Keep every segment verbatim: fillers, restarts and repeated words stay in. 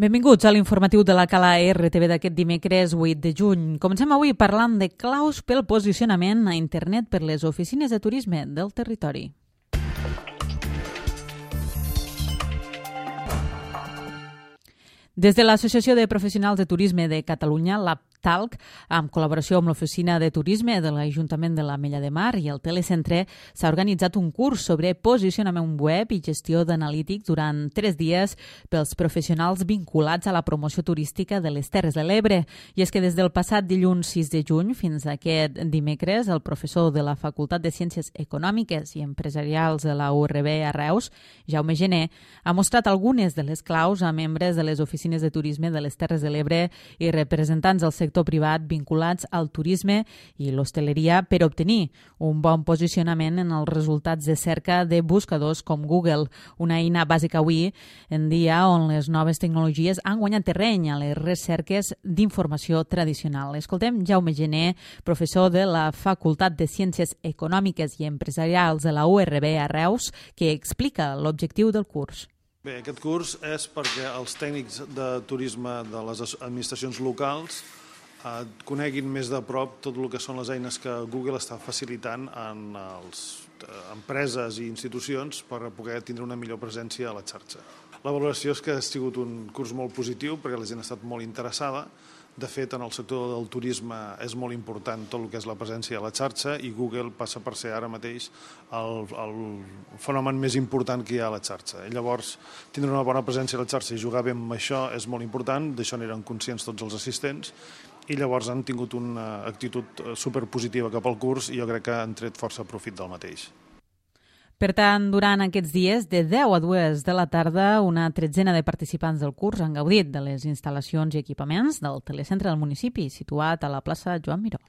Benvinguts a l'informatiu de la Cala R T V d'aquest dimecres vuit de juny. Comencem avui parlant de claus pel posicionament a internet per les oficines de turisme del territori. Des de l'Associació de Professionals de Turisme de Catalunya, l'APTALC, amb col·laboració amb l'Oficina de Turisme de l'Ajuntament de l'Ametlla de Mar i el Telecentre, s'ha organitzat un curs sobre posicionament web i gestió d'analítics durant tres dies pels professionals vinculats a la promoció turística de les Terres de l'Ebre. I és que des del passat dilluns sis de juny fins a aquest dimecres, el professor de la Facultat de Ciències Econòmiques i Empresarials de la U R B a Reus, Jaume Gené, ha mostrat algunes de les claus a membres de les oficines de turisme de les Terres de l'Ebre i representants del sector privat vinculats al turisme i l'hostaleria per obtenir un bon posicionament en els resultats de cerca de buscadors com Google, una eina bàsica avui en dia on les noves tecnologies han guanyat terreny a les recerques d'informació tradicional. Escoltem Jaume Gené, professor de la Facultat de Ciències Econòmiques i Empresarials de la U R B a Reus, que explica l'objectiu del curs. Bé, aquest curs és perquè els tècnics de turisme de les administracions locals eh, coneguin més de prop tot el que són les eines que Google està facilitant en les eh, empreses i institucions per poder tindre una millor presència a la xarxa. La valoració és que ha sigut un curs molt positiu perquè la gent ha estat molt interessada. De fet, en el sector del turisme és molt important tot el que és la presència a la xarxa i Google passa per ser ara mateix el, el fenomen més important que hi ha a la xarxa. I llavors, tindre una bona presència a la xarxa i jugar bé amb això és molt important, d'això n'eren conscients tots els assistents i llavors han tingut una actitud superpositiva cap al curs i jo crec que han tret força profit del mateix. Per tant, durant aquests dies, de deu a dues de la tarda, una tretzena de participants del curs han gaudit de les instal·lacions i equipaments del telecentre del municipi, situat a la plaça Joan Miró.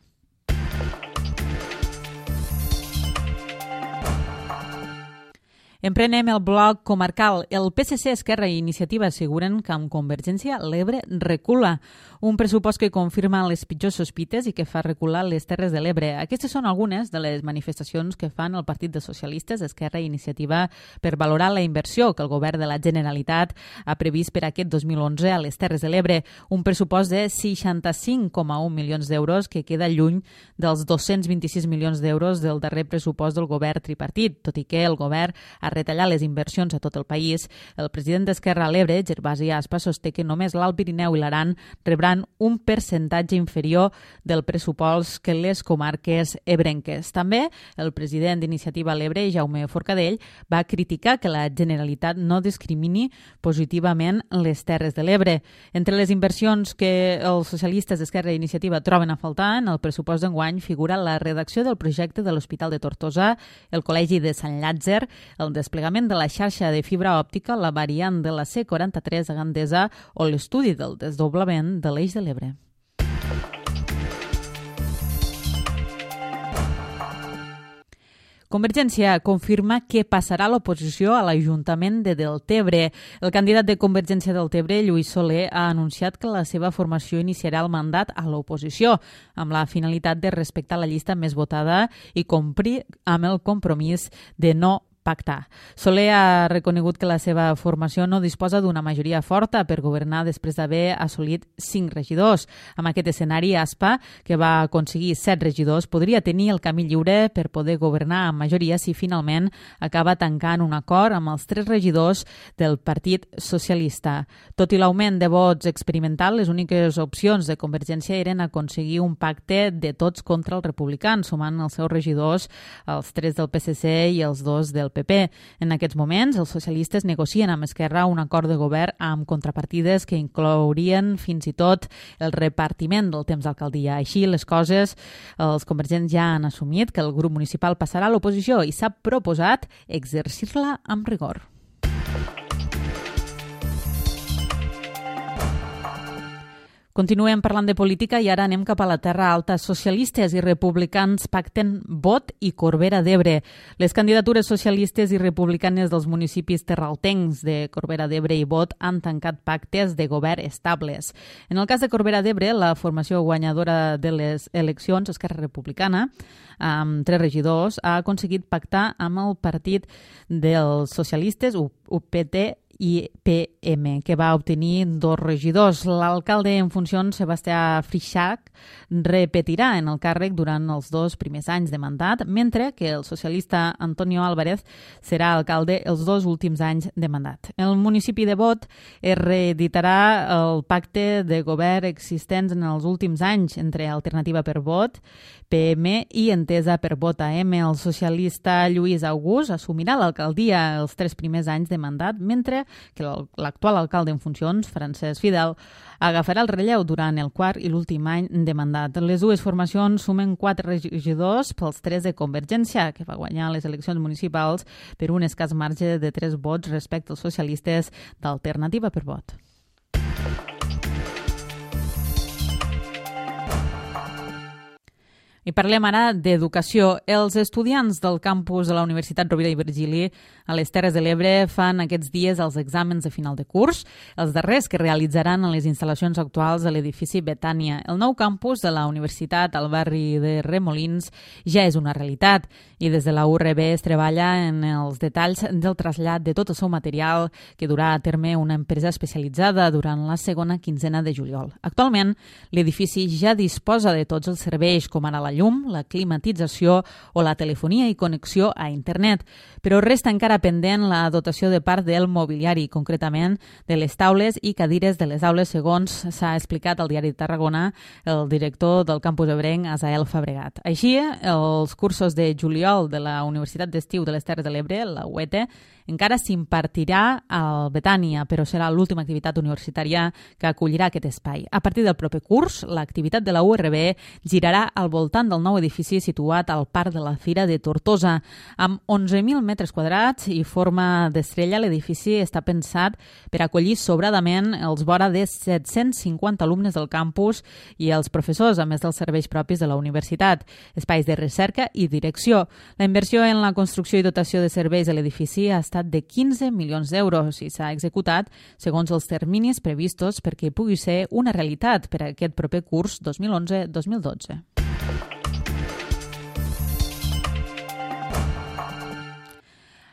Emprenem el bloc comarcal. El P S C, Esquerra i Iniciativa asseguren que amb Convergència l'Ebre recula. Un pressupost que confirma les pitjors sospites i que fa recular les Terres de l'Ebre. Aquestes són algunes de les manifestacions que fan el Partit de Socialistes, Esquerra i Iniciativa per valorar la inversió que el govern de la Generalitat ha previst per aquest dos mil onze a les Terres de l'Ebre. Un pressupost de seixanta-cinc coma un milions d'euros que queda lluny dels dos-cents vint-i-sis milions d'euros del darrer pressupost del govern tripartit, tot i que el govern ha retallar les inversions a tot el país. El president d'Esquerra a l'Ebre, Gervasi Aspa, sosté que només l'Alt Pirineu i l'Aran rebran un percentatge inferior del pressupost que les comarques ebrenques. També el president d'Iniciativa a l'Ebre, Jaume Forcadell, va criticar que la Generalitat no discrimini positivament les Terres de l'Ebre. Entre les inversions que els socialistes d'Esquerra i Iniciativa troben a faltar, en el pressupost d'enguany figura la redacció del projecte de l'Hospital de Tortosa, el Col·legi de Sant Llàtzer, el desplegament de la xarxa de fibra òptica, la variant de la C quaranta-tres a Gandesa o l'estudi del desdoblament de l'Eix de l'Ebre. Convergència confirma que passarà l'oposició a l'Ajuntament de Deltebre. El candidat de Convergència del Tebre, Lluís Soler, ha anunciat que la seva formació iniciarà el mandat a l'oposició, amb la finalitat de respectar la llista més votada i complir amb el compromís de no pactar. Soler ha reconegut que la seva formació no disposa d'una majoria forta per governar després d'haver assolit cinc regidors. Amb aquest escenari, Aspa, que va aconseguir set regidors, podria tenir el camí lliure per poder governar amb majoria si finalment acaba tancant un acord amb els tres regidors del Partit Socialista. Tot i l'augment de vots experimental, les úniques opcions de Convergència eren aconseguir un pacte de tots contra els republicans, sumant els seus regidors, els tres del P S C i els dos del P P. En aquests moments, els socialistes negocien amb Esquerra un acord de govern amb contrapartides que inclourien fins i tot el repartiment del temps d'alcaldia. Així les coses, els convergents ja han assumit que el grup municipal passarà a l'oposició i s'ha proposat exercir-la amb rigor. Continuem parlant de política i ara anem cap a la Terra Alta. Socialistes i republicans pacten vot i Corbera d'Ebre. Les candidatures socialistes i republicanes dels municipis terraltencs de Corbera d'Ebre i Bot han tancat pactes de govern estables. En el cas de Corbera d'Ebre, la formació guanyadora de les eleccions, Esquerra Republicana, amb tres regidors, ha aconseguit pactar amb el partit dels socialistes, U P T I P M, que va obtenir dos regidors. L'alcalde en funcions, Sebastià Freixach, repetirà en el càrrec durant els dos primers anys de mandat, mentre que el socialista Antonio Álvarez serà alcalde els dos últims anys de mandat. El municipi de Bot es reeditarà el pacte de govern existents en els últims anys entre Alternativa per Vot, P M i Entesa per Vot A M. El socialista Lluís August assumirà l'alcaldia els tres primers anys de mandat, mentre que l'actual alcalde en funcions, Francesc Fidel, agafarà el relleu durant el quart i l'últim any de mandat. Les dues formacions sumen quatre regidors pels tres de Convergència, que va guanyar les eleccions municipals per un escàs marge de tres vots respecte als socialistes d'Alternativa per Vot. I parlem ara d'educació. Els estudiants del campus de la Universitat Rovira i Virgili a les Terres de l'Ebre fan aquests dies els exàmens de final de curs, els darrers que realitzaran a les instal·lacions actuals de l'edifici Betània. El nou campus de la universitat al barri de Remolins ja és una realitat i des de la U R B es treballa en els detalls del trasllat de tot el seu material que durà a terme una empresa especialitzada durant la segona quinzena de juliol. Actualment, l'edifici ja disposa de tots els serveis, com ara la llum, la climatització o la telefonia i connexió a internet, però resta encara pendent la dotació de part del mobiliari, concretament de les taules i cadires de les aules, segons s'ha explicat al diari de Tarragona el director del campus ebrenc, Asael Fabregat. Així, els cursos de juliol de la Universitat d'Estiu de les Terres de l'Ebre, la U E T E, encara s'impartirà al Betània, però serà l'última activitat universitària que acollirà aquest espai. A partir del proper curs, l'activitat de la U R B girarà al voltant del nou edifici situat al Parc de la Fira de Tortosa. Amb onze mil metres quadrats i forma d'estrella, l'edifici està pensat per acollir sobradament els vora de set-cents cinquanta alumnes del campus i els professors, a més dels serveis propis de la universitat, espais de recerca i direcció. La inversió en la construcció i dotació de serveis de l'edifici ha estat de quinze milions d'euros i s'ha executat segons els terminis previstos perquè pugui ser una realitat per a aquest proper curs dos mil onze dos mil dotze.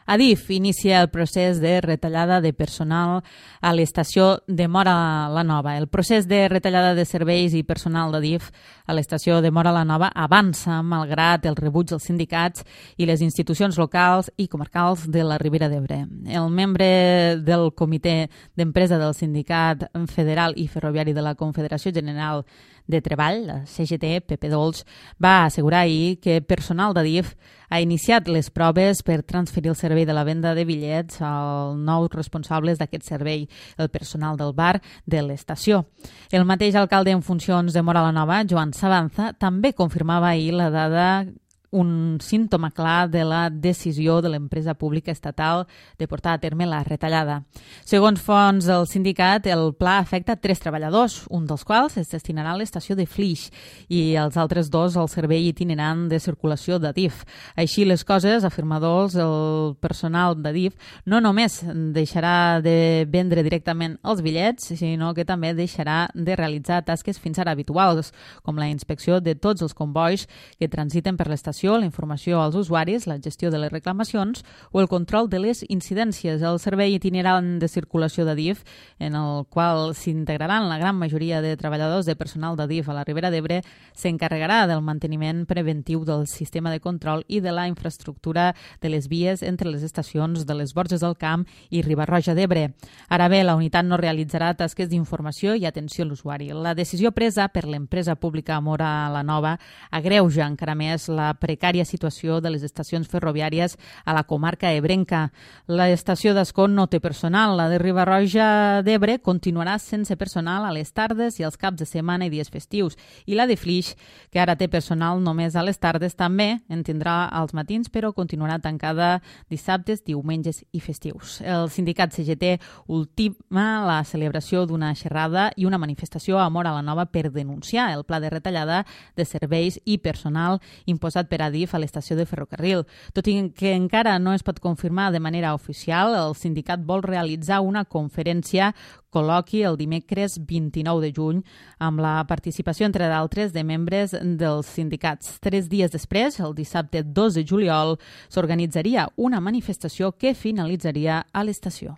Adif inicia el procés de retallada de personal a l'estació de Móra la Nova. El procés de retallada de serveis i personal d'Adif a l'estació de Móra la Nova avança malgrat el rebuig dels sindicats i les institucions locals i comarcals de la Ribera d'Ebre. El membre del comitè d'empresa del Sindicat Federal i Ferroviari de la Confederació General de Treball, la C G T, Pepe Dolç, va assegurar ahir que personal d'Adif ha iniciat les proves per transferir el servei de la venda de bitllets als nous responsables d'aquest servei, el personal del bar de l'estació. El mateix alcalde en funcions de Móra la Nova, Joan Sabanza, també confirmava ahir la dada un símptoma clar de la decisió de l'empresa pública estatal de portar a terme la retallada. Segons fonts del sindicat, el pla afecta tres treballadors, un dels quals es destinarà a l'estació de Flix i els altres dos al servei itinerant de circulació d'Adif. Així les coses, afirmadors, el personal d'Adif no només deixarà de vendre directament els bitllets, sinó que també deixarà de realitzar tasques fins ara habituals, com la inspecció de tots els convois que transiten per l'estació, la informació als usuaris, la gestió de les reclamacions o el control de les incidències. El servei itinerant de circulació d'Adif, en el qual s'integraran la gran majoria de treballadors de personal d'Adif a la Ribera d'Ebre, s'encarregarà del manteniment preventiu del sistema de control i de la infraestructura de les vies entre les estacions de les Borges del Camp i Riba-roja d'Ebre. Ara bé, la unitat no realitzarà tasques d'informació i atenció a l'usuari. La decisió presa per l'empresa pública Móra la Nova agreuja encara més la precària situació de les estacions ferroviàries a la comarca ebrenca. L'estació d'Ascó no té personal. La de Riba-roja d'Ebre continuarà sense personal a les tardes i als caps de setmana i dies festius. I la de Flix, que ara té personal només a les tardes, també en tindrà als matins, però continuarà tancada dissabtes, diumenges i festius. El sindicat C G T ultima la celebració d'una xerrada i una manifestació a Móra la Nova per denunciar el pla de retallada de serveis i personal imposat per Adif a l'estació de ferrocarril. Tot i que encara no es pot confirmar de manera oficial, el sindicat vol realitzar una conferència col·loqui el dimecres vint-i-nou de juny amb la participació, entre d'altres, de membres dels sindicats. Tres dies després, el dissabte dos de juliol, s'organitzaria una manifestació que finalitzaria a l'estació.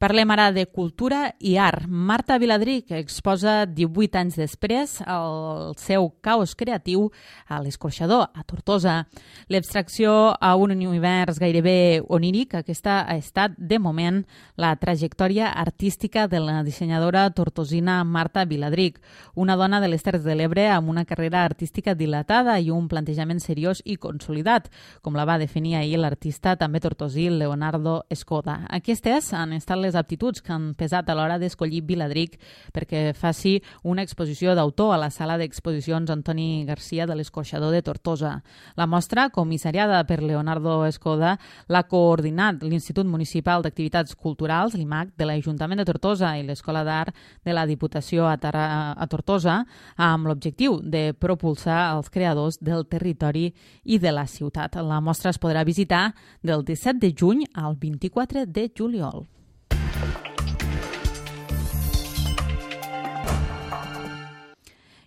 Parlem ara de cultura i art. Marta Viladric exposa divuit anys després el seu caos creatiu a l'Escorxador, a Tortosa. L'abstracció a un univers gairebé oníric, aquesta ha estat, de moment, la trajectòria artística de la dissenyadora tortosina Marta Viladric, una dona de les Terres de l'Ebre amb una carrera artística dilatada i un plantejament seriós i consolidat, com la va definir ahir l'artista també tortosí Leonardo Escoda. Aquestes han estat les aptituds que han pesat a l'hora d'escollir Viladric perquè faci una exposició d'autor a la sala d'exposicions Antoni Garcia de l'Escorxador de Tortosa. La mostra, comissariada per Leonardo Escoda, l'ha coordinat l'Institut Municipal d'Activitats Culturals, l'I M A C, de l'Ajuntament de Tortosa i l'Escola d'Art de la Diputació a, Tara, a Tortosa, amb l'objectiu de propulsar els creadors del territori i de la ciutat. La mostra es podrà visitar del disset de juny al vint-i-quatre de juliol.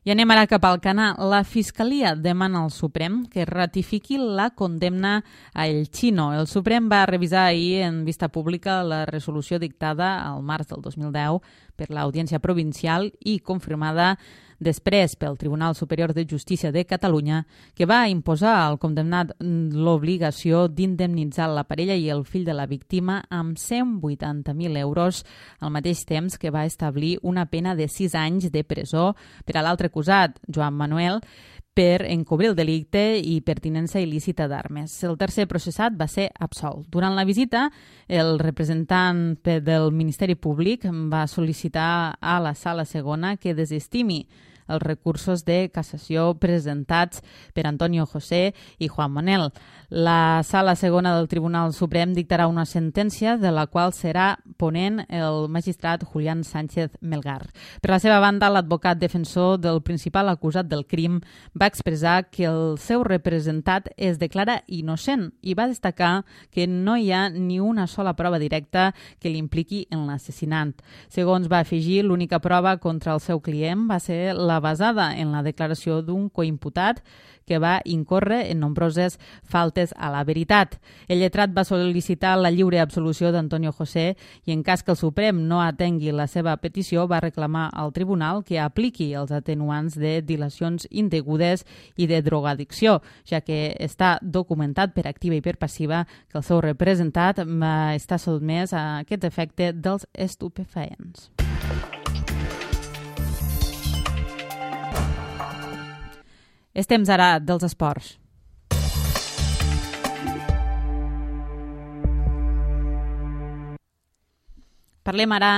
I anem ara cap al Canà. La Fiscalia demana al Suprem que ratifiqui la condemna a El Chino. El Suprem va revisar ahir en vista pública la resolució dictada al març del dos mil deu per l'Audiència Provincial i confirmada després pel Tribunal Superior de Justícia de Catalunya, que va imposar al condemnat l'obligació d'indemnitzar la parella i el fill de la víctima amb cent vuitanta mil euros, al mateix temps que va establir una pena de sis anys de presó per a l'altre acusat, Joan Manuel, per encobrir el delicte i pertinença il·lícita d'armes. El tercer processat va ser absolt. Durant la visita, el representant del Ministeri Públic va sol·licitar a la Sala Segona que desestimi els recursos de cassació presentats per Antonio José i Juan Manuel. La Sala Segona del Tribunal Suprem dictarà una sentència de la qual serà ponent el magistrat Julián Sánchez Melgar. Per la seva banda, l'advocat defensor del principal acusat del crim va expressar que el seu representat es declara innocent i va destacar que no hi ha ni una sola prova directa que l'impliqui en l'assassinat. Segons va afegir, l'única prova contra el seu client va ser la basada en la declaració d'un coimputat que va incórrer en nombroses faltes a la veritat. El lletrat va sol·licitar la lliure absolució d'Antonio José i en cas que el Suprem no atengui la seva petició va reclamar al tribunal que apliqui els atenuants de dilacions indegudes i de drogadicció, ja que està documentat per activa i per passiva que el seu representat està sotmès a aquest efecte dels estupefaents. És temps ara dels esports. Parlem ara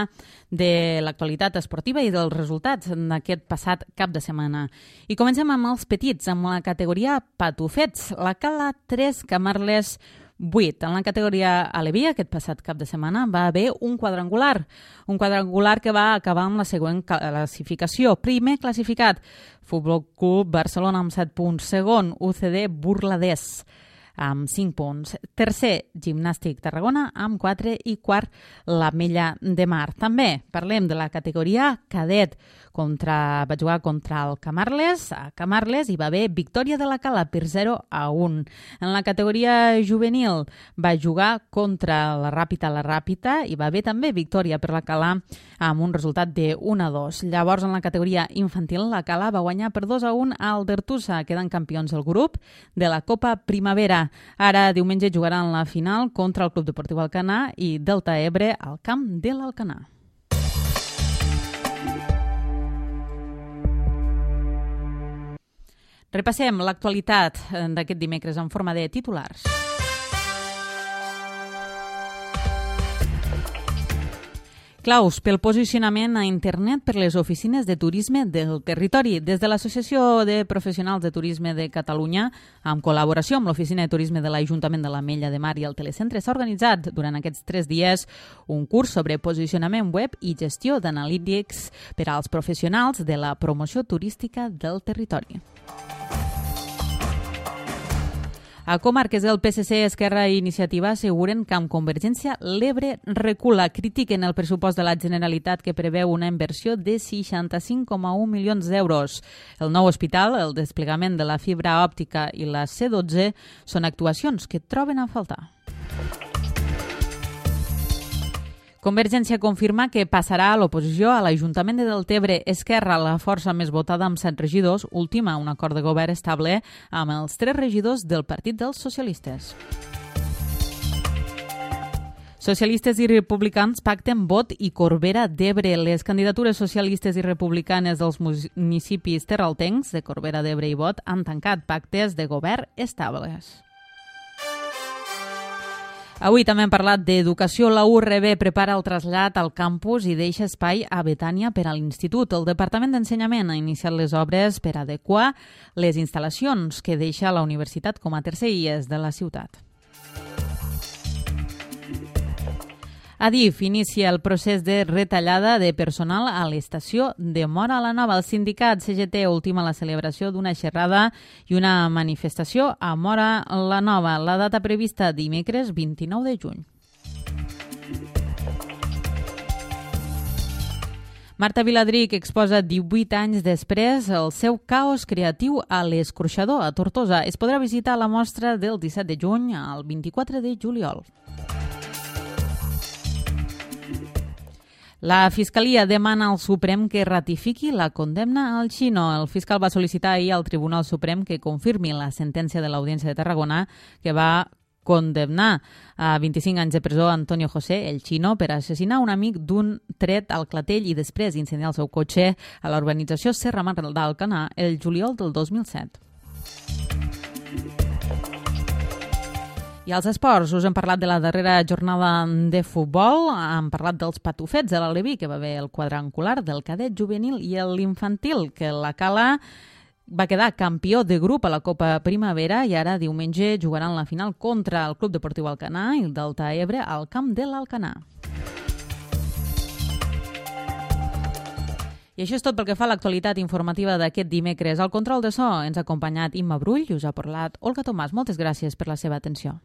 de l'actualitat esportiva i dels resultats d'aquest passat cap de setmana. I comencem amb els petits, amb la categoria patufets. La Cala tres, Camarles vuit. En la categoria Aleví, aquest passat cap de setmana, va haver un quadrangular. Un quadrangular que va acabar amb la següent classificació. Primer classificat, Futbol Club Barcelona amb set punts. Segon, U C D Burladès amb cinc punts. Tercer, Gimnàstic Tarragona amb quatre i quart, l'Ametlla de Mar. També parlem de la categoria cadet. Contra, va jugar contra el Camarles, a Camarles hi va haver victòria de la Cala per zero a un. En la categoria juvenil va jugar contra la Ràpita la Ràpita i va haver també victòria per la Cala amb un resultat de un a dos. Llavors, en la categoria infantil, la Cala va guanyar per dos a un al Dertusa, quedant campions del grup de la Copa Primavera. Ara, diumenge, jugaran la final contra el Club Deportiu Alcanar i Delta Ebre al camp de l'Alcanar. Repassem l'actualitat d'aquest dimecres en forma de titulars. Claus pel posicionament a internet per les oficines de turisme del territori. Des de l'Associació de Professionals de Turisme de Catalunya, en col·laboració amb l'Oficina de Turisme de l'Ajuntament de l'Ametlla de Mar i el Telecentre, s'ha organitzat durant aquests tres dies un curs sobre posicionament web i gestió d'analítics per als professionals de la promoció turística del territori. A comarques del P S C, Esquerra i Iniciativa asseguren que amb Convergència l'Ebre recula. Critiquen el pressupost de la Generalitat que preveu una inversió de seixanta-cinc coma un milions d'euros. El nou hospital, el desplegament de la fibra òptica i la C dotze són actuacions que troben a faltar. Convergència confirma que passarà a l'oposició a l'Ajuntament de Deltebre. Esquerra, la força més votada amb set regidors, ultima un acord de govern estable amb els tres regidors del Partit dels Socialistes. Socialistes i republicans pacten Bot i Corbera d'Ebre. Les candidatures socialistes i republicanes dels municipis terraltencs de Corbera d'Ebre i Bot han tancat pactes de govern estables. Avui també hem parlat d'educació. La U R B prepara el trasllat al campus i deixa espai a Betània per a l'institut. El Departament d'Ensenyament ha iniciat les obres per adequar les instal·lacions que deixa la universitat com a tercer I E S de la ciutat. Adif inicia el procés de retallada de personal a l'estació de Móra la Nova. El sindicat C G T ultima la celebració d'una xerrada i una manifestació a Móra la Nova. La data prevista dimecres vint-i-nou de juny. Marta Viladric exposa divuit anys després el seu caos creatiu a l'Escorxador, a Tortosa. Es podrà visitar la mostra del disset de juny al vint-i-quatre de juliol. La Fiscalia demana al Suprem que ratifiqui la condemna al Xino. El fiscal va sol·licitar ahir al Tribunal Suprem que confirmi la sentència de l'Audiència de Tarragona que va condemnar a vint-i-cinc anys de presó Antonio José, el Xino, per assassinar un amic d'un tret al clatell i després incendiar el seu cotxe a la urbanització Serra Mar d'Alcanar el juliol del dos mil set. I als esports, us hem parlat de la darrera jornada de futbol, hem parlat dels patufets de l'Aleví, que va haver el quadrangular del cadet juvenil i l'infantil, que la Cala va quedar campió de grup a la Copa Primavera i ara diumenge jugaran la final contra el Club Deportiu Alcanar i el Delta Ebre al camp de l'Alcanar. I això és tot pel que fa a l'actualitat informativa d'aquest dimecres. Al control de so ens ha acompanyat Imma Brull i us ha parlat Olga Tomàs. Moltes gràcies per la seva atenció.